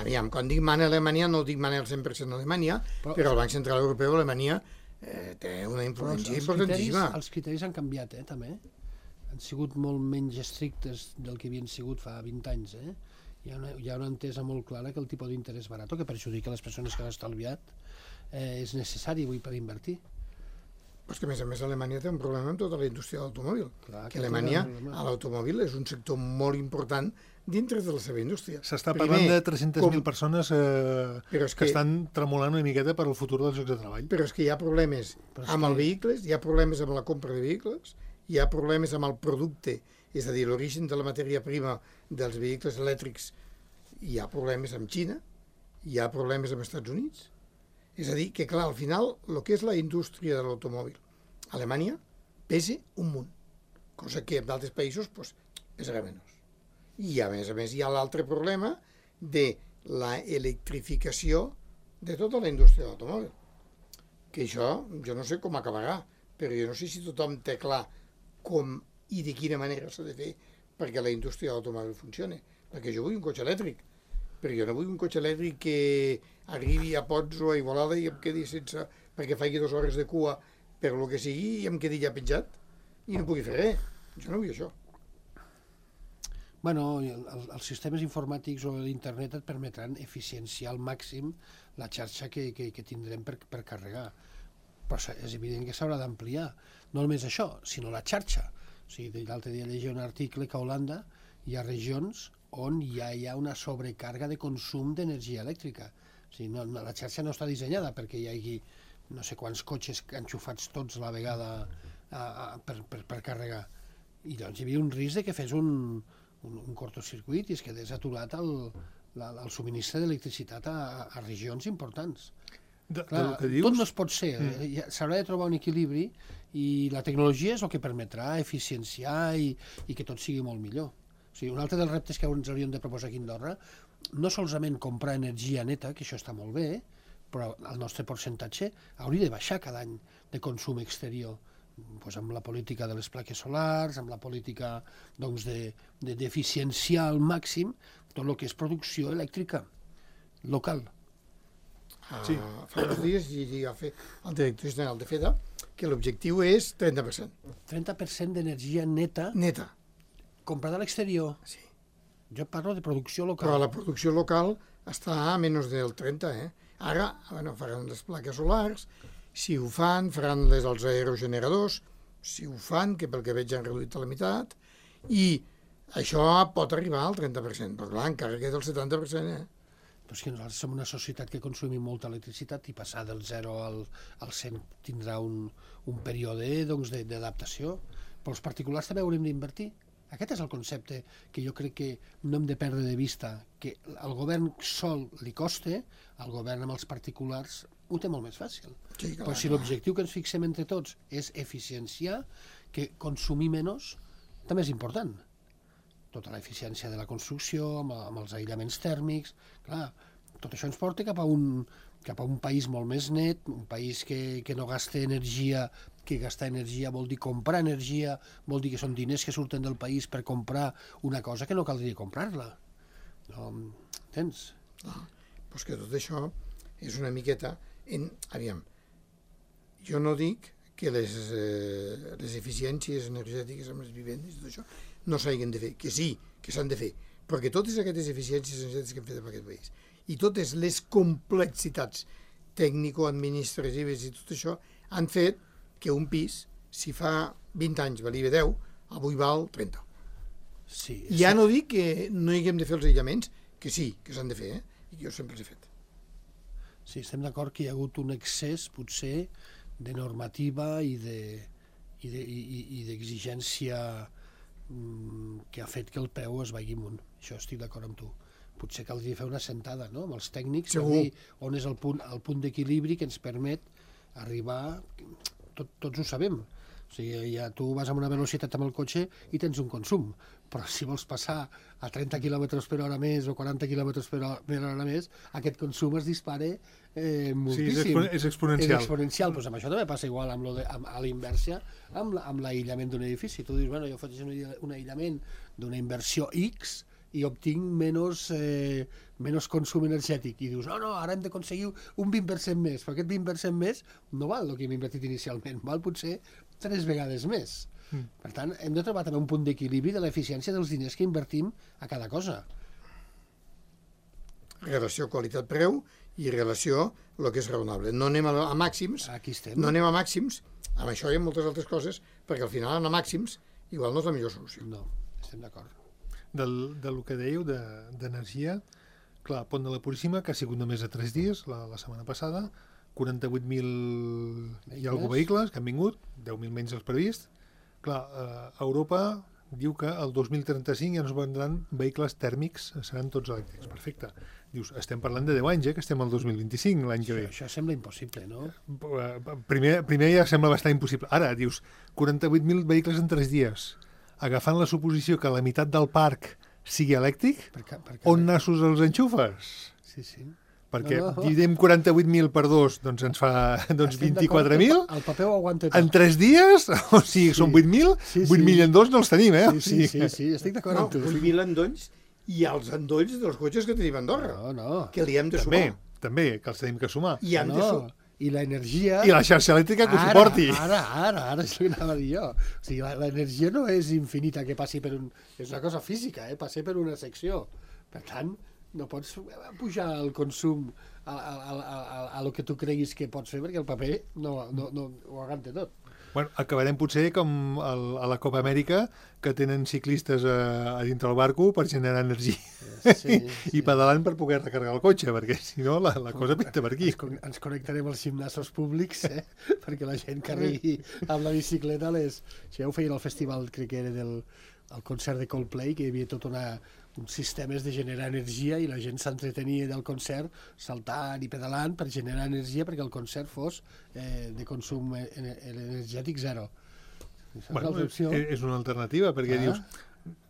Aviam, quan dic mana a Alemanya no dic mana al cent per cent a Alemanya, Però- però, el Banc Central Europeu a Alemanya eh, té una però els, influència els, criteris, importantíssima. els criteris han canviat, eh, també. Han sigut molt menys estrictes del que havien sigut fa vint anys, eh? Hi ha una, hi ha una entesa molt clara que el tipus d'interès barato, que perjudica les persones que han estalviat, eh, és necessari avui per invertir. Però és que, a més a més, Alemanya té un problema amb tota la indústria de l'automòbil. Clar, Que aquest Alemanya, és el problema. a l'automòbil, és un sector molt important dintre de la seva indústria. S'està Primer, parlant de tres-centes mil com- persones eh, Però és que, que- estan tremolant una miqueta per al futur dels llocs de treball. Però és que hi ha problemes Però és amb que- els vehicles, hi ha problemes amb la compra de vehicles, hi ha problemes amb el producte, és a dir, l'origen de la matèria prima dels vehicles elèctrics, hi ha problemes amb Xina, hi ha problemes amb els Estats Units. És a dir, que clar, al final, el que és la indústria de l'automòbil, Alemanya pesa un munt, cosa que en altres països pues, pesarà menys. I a més a més hi ha l'altre problema de la electrificació de tota la indústria de l'automòbil. Que això, jo no sé com acabarà, però jo no sé si tothom té clar com i de quina manera s'ha de fer perquè la indústria de l'automòbil funcioni. Perquè jo vull un cotxe elèctric, però jo no vull un cotxe elèctric que arribi a Pots o a Igualada i em quedi sense... perquè faci dues hores de cua per lo que sigui i em quedi ja penjat i no pugui fer res. Jo no vull això. Bueno, el, els sistemes informàtics o l'internet et permetran eficienciar al màxim la xarxa que, que, que tindrem per, per carregar. Però és evident que s'haurà d'ampliar. No només això, sinó la xarxa. O sigui, l'altre dia llegia un article que a Holanda hi ha regions on ja hi ha una sobrecarga de consum d'energia elèctrica. O sigui, no, la xarxa no està dissenyada perquè hi hagi no sé quants cotxes enxufats tots a la vegada a, a, per, per, per carregar. I doncs hi havia un risc de que fes un, un, un cortocircuit i es quedés aturat el, la, el subministre d'electricitat a, a regions importants. De, Clar, de que dius... tot no es pot ser, mm. eh? S'haurà de trobar un equilibri i la tecnologia és el que permetrà eficienciar i, i que tot sigui molt millor. O sigui, un altre dels reptes que ens hauríem de proposar aquí a Andorra, no solament comprar energia neta, que això està molt bé, però el nostre percentatge hauria de baixar cada any de consum exterior, pues amb la política de les plaques solars, amb la política doncs, de, de, d'eficienciar al màxim tot el que és producció elèctrica local. Sí. Uh, fa uns dies llegia el director general de FEDA que l'objectiu és trenta per cent. trenta per cent d'energia neta Neta. comprada a l'exterior. Sí. Jo parlo de producció local. Però la producció local està a menys del trenta, eh? Ara, bueno, faran les plaques solars, si ho fan, faran les als aerogeneradors, si ho fan, que pel que veig han reduït a la meitat, i això pot arribar al trenta per cent, però clar, encara queda el setanta per cent, eh? Però és que nosaltres som una societat que consumim molta electricitat i passar del zero al, al cent tindrà un, un període doncs, d'adaptació. Però els particulars també haurem d'invertir. Aquest és el concepte que jo crec que no hem de perdre de vista, que al govern sol li costa, al govern amb els particulars ho té molt més fàcil. Sí, clar, però si l'objectiu que ens fixem entre tots és eficienciar, que consumir menys, també és important. Tota l'eficiència de la construcció, amb, amb els aïllaments tèrmics, clar, tot això ens porta cap a un, cap a un país molt més net, un país que, que no gasta energia, que gastar energia vol dir comprar energia, vol dir que són diners que surten del país per comprar una cosa que no caldria comprar-la. No, entens? Ah, doncs que tot això és una miqueta... En, aviam, jo no dic que les, eh, les eficiències energètiques amb les vivendes i tot això no s'hagin de fer, que sí, que s'han de fer, però que totes aquestes eficiències energètiques que hem fet en aquest país i totes les complexitats tècnico-administratives i tot això han fet que un pis, si fa vint anys valia deu, avui val trenta. Sí, ja sí. no dic que no hi haguem de fer els aïllaments, que sí, que s'han de fer, eh? I jo sempre els he fet. Sí, estem d'acord que hi ha hagut un excés, potser, de normativa i de, i de, i, i d'exigència mm, que ha fet que el preu es vagi amunt. Això estic d'acord amb tu. Potser caldria fer una sentada, no?, amb els tècnics, per dir on és el punt, el punt d'equilibri que ens permet arribar... Tot, tots ho sabem. O sigui, ja tu vas amb una velocitat amb el cotxe i tens un consum, però si vols passar a trenta quilòmetres per hora més o quaranta quilòmetres per hora més, aquest consum es dispara eh, moltíssim. Sí, és, és exponencial. És exponencial. Pues amb això també passa igual amb lo de, amb, a la inversa amb, la, amb l'aïllament d'un edifici. Tu dius, bueno, jo faig un, un aïllament d'una inversió X i obtinc menys, eh, menys consum energètic. I dius, no, no, ara hem d'aconseguir un vint per cent més, però aquest vint per cent més no val el que hem invertit inicialment, val potser tres vegades més. Mm. Per tant, hem de trobar també un punt d'equilibri de l'eficiència dels diners que invertim a cada cosa. Relació qualitat-preu i relació el que és raonable. No anem a, a màxims, Aquí estem. no anem a màxims, amb això hi ha moltes altres coses, perquè al final anar a màxims igual no és la millor solució. No, estem d'acord. Del, del que dèieu d'energia, de, clar, Pont de la Puríssima, que ha sigut només a tres dies, la, la setmana passada, quaranta-vuit mil i alguna vehicles que han vingut, deu mil menys els previst. Clar, eh, Europa diu que el dos mil trenta-cinc ja no es vendran vehicles tèrmics, seran tots elèctrics. Perfecte. Dius, estem parlant de deu anys, eh, que estem al dos mil vint-i-cinc, l'any que ve. Això, això sembla impossible, no? Primer, primer ja sembla bastant impossible. Ara, dius, quaranta-vuit mil vehicles en tres dies. Agafant la suposició que la meitat del parc sigui elèctric, Per ca, per on nassos els enxufes? Sí, sí. perquè No, no. dividim quaranta-vuit mil per dos, doncs ens fa doncs Estem vint-i-quatre d'acord, mil. El paper ho aguanta tot. En tres dies, o sigui, Sí. són vuit mil, Sí, sí. vuit mil en dos no els tenim, eh? Sí, sí, sí, sí, estic d'acord No, amb tu. vuit mil endolls i els endolls dels cotxes que tenim a Andorra, No, no. que li hem de També, sumar. també, que els tenim que sumar. I hem de no. sumar. I l'energia... I la xarxa elèctrica que ho Ara, suporti. Ara, ara, ara és el que anava a dir jo. O sigui, la- l'energia no és infinita que passi per un... És una cosa física, eh? Passi per una secció. Per tant, no pots pujar el consum a, a, a, a, a, a lo que tu creguis que pots fer, perquè el paper no, no, no ho aguanta tot. Bueno, acabarem potser com el, a la Copa Amèrica, que tenen ciclistes a, a dintre el barco per generar energia Sí, i pedalant per poder recarregar el cotxe, perquè si no la, la cosa pinta per aquí. Ens, con- ens connectarem als gimnasos públics, eh? perquè la gent carregui amb la bicicleta les... Això ja ho feien al festival, crec que era del el concert de Coldplay, que hi havia tot una, uns sistemes de generar energia i la gent s'entretenia del concert saltant i pedalant per generar energia perquè el concert fos eh, de consum e- e- energètic zero. Això Bueno, és una opció. és, és una alternativa, perquè Ah. dius...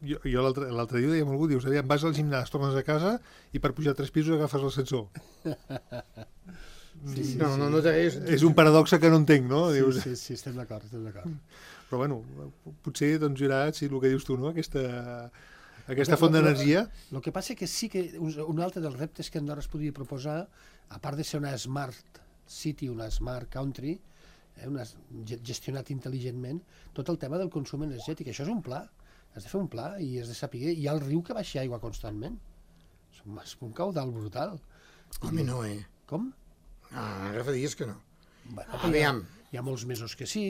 Jo, jo l'altre l'altre dia deia amb algú, dius, aviam, vas al gimnàs, tornes a casa i per pujar tres pisos agafes l'ascensor. Sí, sí, No, sí. no, no té res. És un paradoxe que no entenc, no? Sí, Dius, sí, sí, estem d'acord, estem d'acord. Però bueno, potser doncs hi haurà, sí, el que dius tu, no? Aquesta, aquesta font d'energia. El que passa que sí que un un altre dels reptes que Andorra es podria proposar, a part de ser una smart city, una smart country, eh, una, ge- gestionat intel·ligentment, tot el tema del consum energètic. Això és un pla. Has de fer un pla i has de saber... Hi ha el riu que baixa aigua constantment. És un, és un caudal brutal. Home, no, eh? Com? Ah, ara fa dies que no. Bueno, Aviam. Hi ha molts mesos que sí,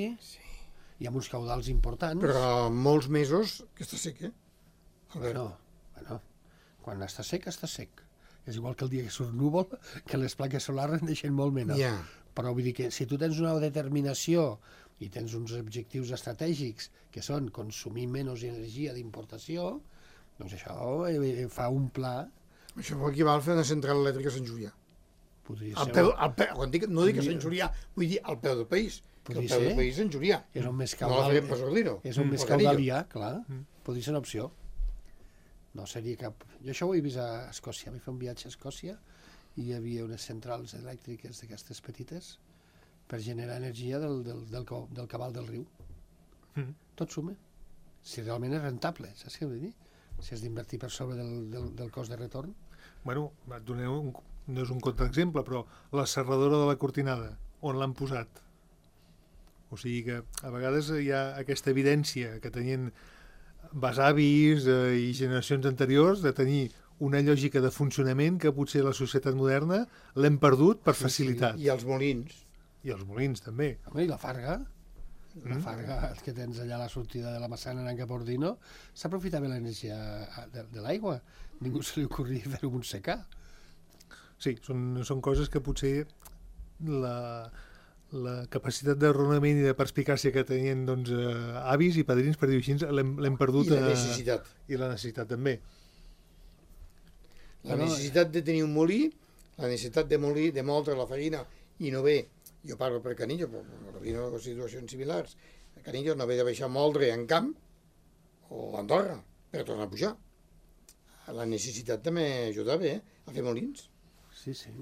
hi ha uns caudals importants. Però molts mesos que està sec, eh? Albert. Bueno, bueno, quan està sec, està sec. És igual que el dia que surt núvol, que les plaques solars en deixen molt menys. Ja. Però vull dir que si tu tens una determinació i tens uns objectius estratègics que són consumir menys energia d'importació, doncs això eh, fa un pla, Això vol equival a fer una central elèctrica a Sant Julià. podria Al ser... peu, al peu, quan dic, no dic a Sant Julià, vull dir al peu del país. Que Podria al peu ser. del país és Sant Julià. És on més No la caudal, farem pas Ordino. és on més O caudal Canillo. hi ha, clar. Podria ser una opció. No seria cap... Jo això ho he vist a Escòcia. Vaig fer un viatge a Escòcia i hi havia unes centrals elèctriques d'aquestes petites per generar energia del, del, del, co- del cabal del riu. Mhm. Tot suma. Si realment és rentable, saps què vull dir? Si has d'invertir per sobre del, del, del cost de retorn. Bueno, et donaré un, no és un contraexemple, però la serradora de la Cortinada, on l'han posat? O sigui que a vegades hi ha aquesta evidència que tenien besavis eh, i generacions anteriors de tenir una lògica de funcionament que potser la societat moderna l'hem perdut per facilitat. I els molins. I els molins, també. Home, i la Farga, la Farga que tens allà a la sortida de la Massana anant cap a Ordino, s'aprofitava l'energia de, de l'aigua. Ningú se li ocorria fer-ho amb un secà. Sí, són, són coses que potser la, la capacitat de raonament i de perspicàcia que tenien doncs, eh, avis i padrins, per dir-ho així, l'hem l'hem perdut. I la eh, necessitat. I la necessitat, també. La Bueno, necessitat de tenir un molí, la necessitat de molir, de moldre la farina i no ve, jo parlo per Canillo, però hi ha situacions similars, a Canillo no ve de baixar moldre en camp o a Andorra per tornar a pujar. La necessitat també ajudava eh, a fer molins. Sí, sí.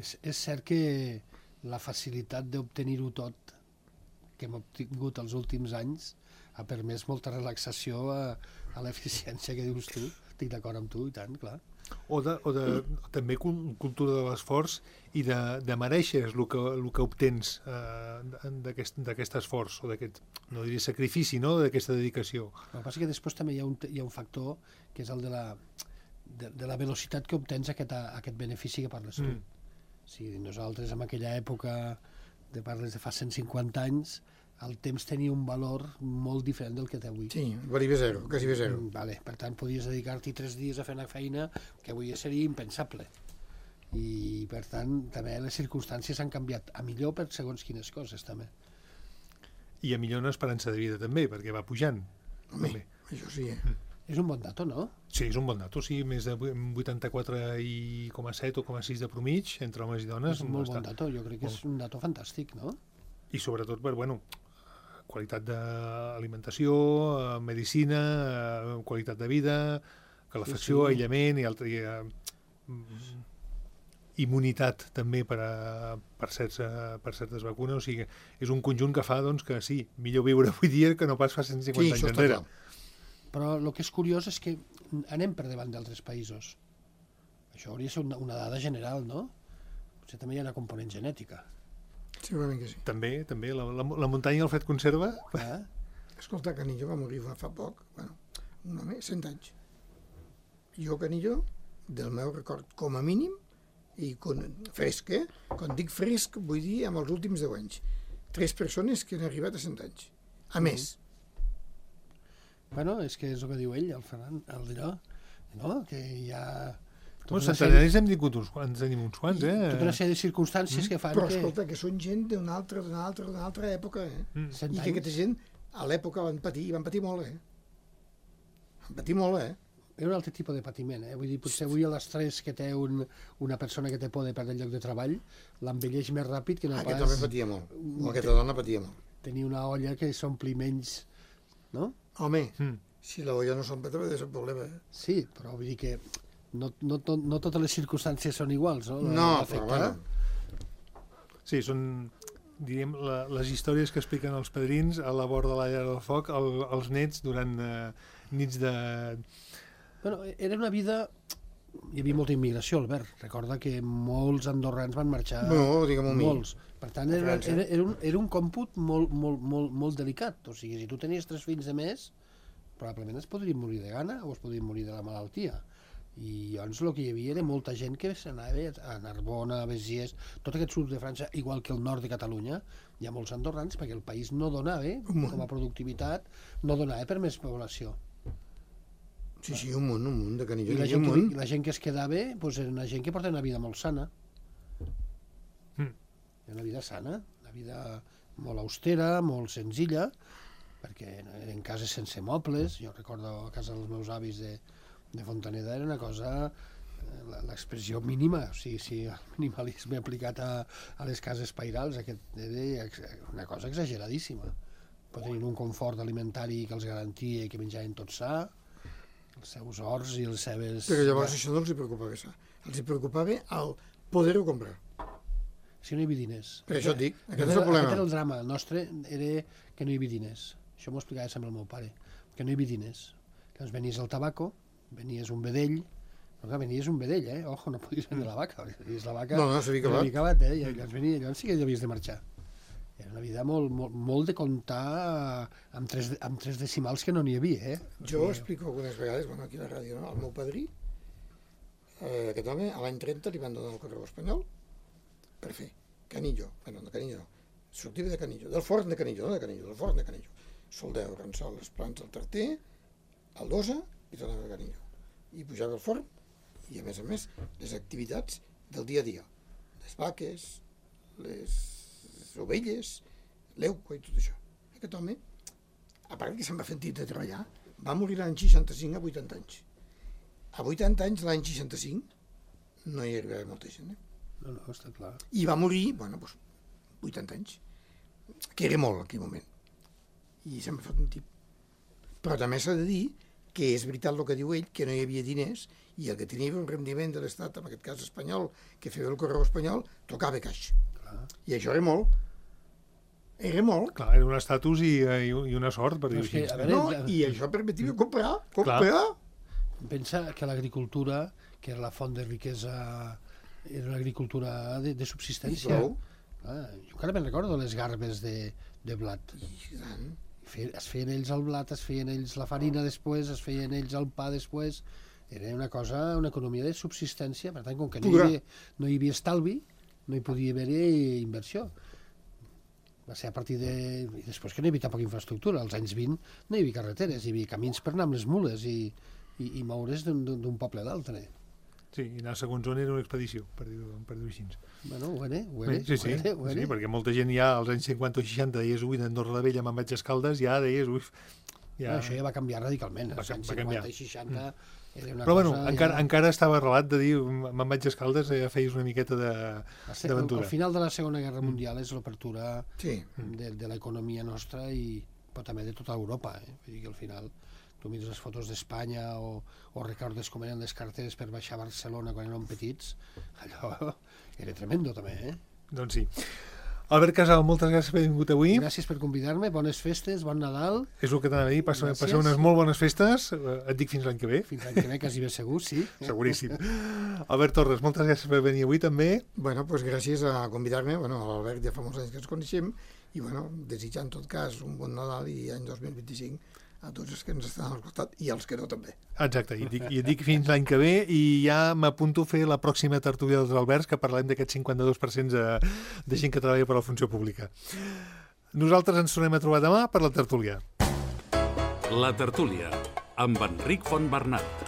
És, és cert que la facilitat d'obtenir-ho tot que hem obtingut els últims anys ha permès molta relaxació a, a l'eficiència que dius tu. Estic d'acord amb tu, i tant, clar. O, de, o de, també cul- cultura de l'esforç i de, de mereixer el que, el que obtens eh, d'aquest d'aquest esforç, o d'aquest, no diria sacrifici, no?, d'aquesta dedicació. El que passa que després també hi ha un, hi ha un factor que és el de la, de, de la velocitat que obtens aquest, aquest benefici que parles tu. Mm. O sigui, nosaltres en aquella època, de parles de fa cent cinquanta anys, el temps tenia un valor molt diferent del que té avui. Sí, valia bé zero, quasi bé zero. Mm, Vale, per tant, podies dedicar-t'hi tres dies a fer una feina que avui seria impensable. I, per tant, també les circumstàncies han canviat a millor per segons quines coses, també. I a millor una esperança de vida, també, perquè va pujant. Home, També. això sí, eh? És un bon dato, no? Sí, és un bon dato, sí, més de vuitanta-quatre coma set o coma sis de promig entre homes i dones. És un molt està. bon dato, jo crec que és un dato fantàstic, no? I sobretot per, bueno, qualitat d'alimentació, eh, medicina, eh, qualitat de vida, calefacció, Sí, sí. aïllament i altre... I, eh, mm, immunitat també per, a, per, certs, per certes vacunes, o sigui, és un conjunt que fa doncs, que sí, millor viure avui dia que no pas fa cent cinquanta Sí, això anys està enrere. clar. Però el que és curiós és que anem per davant d'altres països. Això hauria de ser una, una dada general, no? Potser també hi ha una component genètica. Segurament que sí. També, també, la, la, la muntanya i el fred conserva. Eh? Escolta, Canillo va morir fa poc, bueno, un home, cent anys. Jo, Canillo, del meu record, com a mínim, i con, fresc, eh? Quan dic fresc, vull dir amb els últims deu anys. Tres persones que han arribat a cent anys. A més. Bueno, és que és el que diu ell, el Ferran, el d'allò, no? Que hi ha... Bueno, centenaris hem tingut uns quants, tenim uns quants, eh? Tota una sèrie de circumstàncies mm. que fan Però que... escolta, que són gent d'una altra, d'una altra, d'una altra època, eh? Mm. Cent I que anys. aquesta gent, a l'època, van patir, van patir molt, eh? Van patir molt, eh? Era un altre tipus de patiment, eh? Vull dir, potser avui l'estrès que té un, una persona que té por de perdre el lloc de treball l'envelleix més ràpid que no Aquest pas home patia molt. O aquesta dona patia molt. tenir una olla que s'ompli menys, no? Home, Mm. si la olla no s'omple, també és un problema, eh? Sí, però vull dir que no, no, no, no totes les circumstàncies són iguals, no? No, L'efecte. però bueno. Sí, són, diríem, la, les històries que expliquen els padrins a la vora de la llar del foc, el, els nets durant eh, nits de... Bueno, era una vida... Hi havia molta immigració, Albert. Recorda que molts andorrans van marxar... No, digue'm-ho a mi. Molts. Per tant, era, França. era, era, un, era un còmput molt, molt, molt, molt delicat. O sigui, si tu tenies tres fills de més, probablement es podrien morir de gana o es podrien morir de la malaltia. I llavors el que hi havia era molta gent que s'anava a Narbona, a Béziers, tot aquest sud de França, igual que el nord de Catalunya, hi ha molts andorrans perquè el país no donava, Un com a productivitat, no donava per més població. Sí, sí, un munt, un munt de Canillo. I la un gent, que, munt. i la gent que es quedava doncs era una gent que porta una vida molt sana. Mm. Una vida sana, una vida molt austera, molt senzilla, perquè eren cases sense mobles. Jo recordo a casa dels meus avis de, de Fontaneda era una cosa, eh, la- l'expressió mínima, o sigui, si el minimalisme aplicat a, a les cases pairals, aquest era ex- una cosa exageradíssima. Però tenien un confort alimentari que els garantia i que menjaven tot sa, els seus horts i les seves... Però llavors això no els hi preocupava, això. Els hi preocupava el poder-ho comprar. Si no hi havia diners. Per això et dic, aquest Aquest és el era- problema. Aquest era el drama. El nostre era que no hi havia diners. Això m'ho explicava sempre el meu pare. Que no hi havia diners. Llavors venies al tabaco, venies un vedell, però clar, venies un vedell, eh? Ojo, no podies vendre la vaca. Venies la vaca... No, no, s'havia acabat. s'havia acabat, eh? I llavors, venia, llavors sí que havies de marxar. Era una vida molt, molt, molt de comptar amb tres, amb tres decimals que no n'hi havia, eh? Jo ho explico algunes vegades, bueno, aquí a la ràdio, no? El meu padrí, eh, aquest home, a l'any trenta li van donar el correu espanyol per fer Canillo, bueno, de Canillo no, sortida de Canillo, del forn de Canillo, no de Canillo, del forn de Canillo. Soldeu, Ransol, les plants del Tarter, el Dosa i tornava a Canillo. I pujava al forn i, a més a més, les activitats del dia a dia. Les vaques, les ovelles, l'euco i tot això. Aquest home, a part que se'n va sentir de treballar, va morir l'any seixanta-cinc a vuitanta anys. A vuitanta anys, l'any seixanta-cinc, no hi arribava molta gent, eh? No, no, està clar. I va morir, bueno, doncs, vuitanta anys, que era molt en aquell moment. I se'n va fet un tip. Però també s'ha de dir que és veritat el que diu ell, que no hi havia diners, i el que tenia un rendiment de l'Estat, en aquest cas espanyol, que feia el correu espanyol, tocava caix. clar. I això era molt. Era molt. Clar, era un estatus i, i, i una sort, per Però dir-ho és que, així. a veure, No, i això permetia comprar, comprar. pensa que l'agricultura, que era la font de riquesa, era una agricultura de, de subsistència. I prou. Ah, jo encara me'n recordo les garbes de, de blat. I tant. Fe, es feien ells el blat, es feien ells la farina després, es feien ells el pa després. Era una cosa, una economia de subsistència. Per tant, com que no hi Pura. havia, no hi havia estalvi, no hi podia haver inversió. Va ser a partir de... I després que no hi havia tampoc infraestructura. Als anys vint no hi havia carreteres, hi havia camins per anar amb les mules i, i, i moure's d'un d'un poble a l'altre. Sí, i anar segons on era una expedició, per dir-ho per dir així. Bueno, ho era, ho Bé, era, sí, sí, ho era, ho era. sí, perquè molta gent ja als anys cinquanta o seixanta deies, ui, d'Andorra la Vella me'n vaig a Escaldes, ja deies, ui... Ja... Ah, això ja va canviar radicalment. Va Als ca- anys va cinquanta canviar. i seixanta era una Però bueno, cosa... encara, ja... encara estava arrelat de dir, me'n vaig a Escaldes, ja feies una miqueta de Va ser- d'aventura. Al final de la Segona Guerra Mundial és l'obertura Sí. de, de l'economia nostra i però també de tota Europa. Eh? Vull dir que al final tu tu mires les fotos d'Espanya o, o recordes com eren les carteres per baixar a Barcelona quan érem petits, allò era tremendo també, eh? Doncs sí. Albert Casal, moltes gràcies per haver vingut avui. Gràcies per convidar-me, bones festes, bon Nadal. És el que t'anava a dir, passeu, Gràcies. passeu unes molt bones festes. Et dic fins l'any que ve. Fins l'any que ve, quasi bé segur, sí. Seguríssim. Albert Torres, moltes gràcies per venir avui també. Bueno, pues gràcies a convidar-me. Bueno, a l'Albert ja fa molts anys que ens coneixem i bueno, desitjar en tot cas un bon Nadal i any dos mil vint-i-cinc a tots els que ens estan al costat i als que no també. Exacte, i et dic, i et dic fins l'any que ve i ja m'apunto a fer la pròxima tertúlia dels Alberts, que parlem d'aquest cinquanta-dos per cent de, de gent que treballa per a la funció pública. Nosaltres ens tornem a trobar demà per la tertúlia. La tertúlia, amb Enric Fontbernat.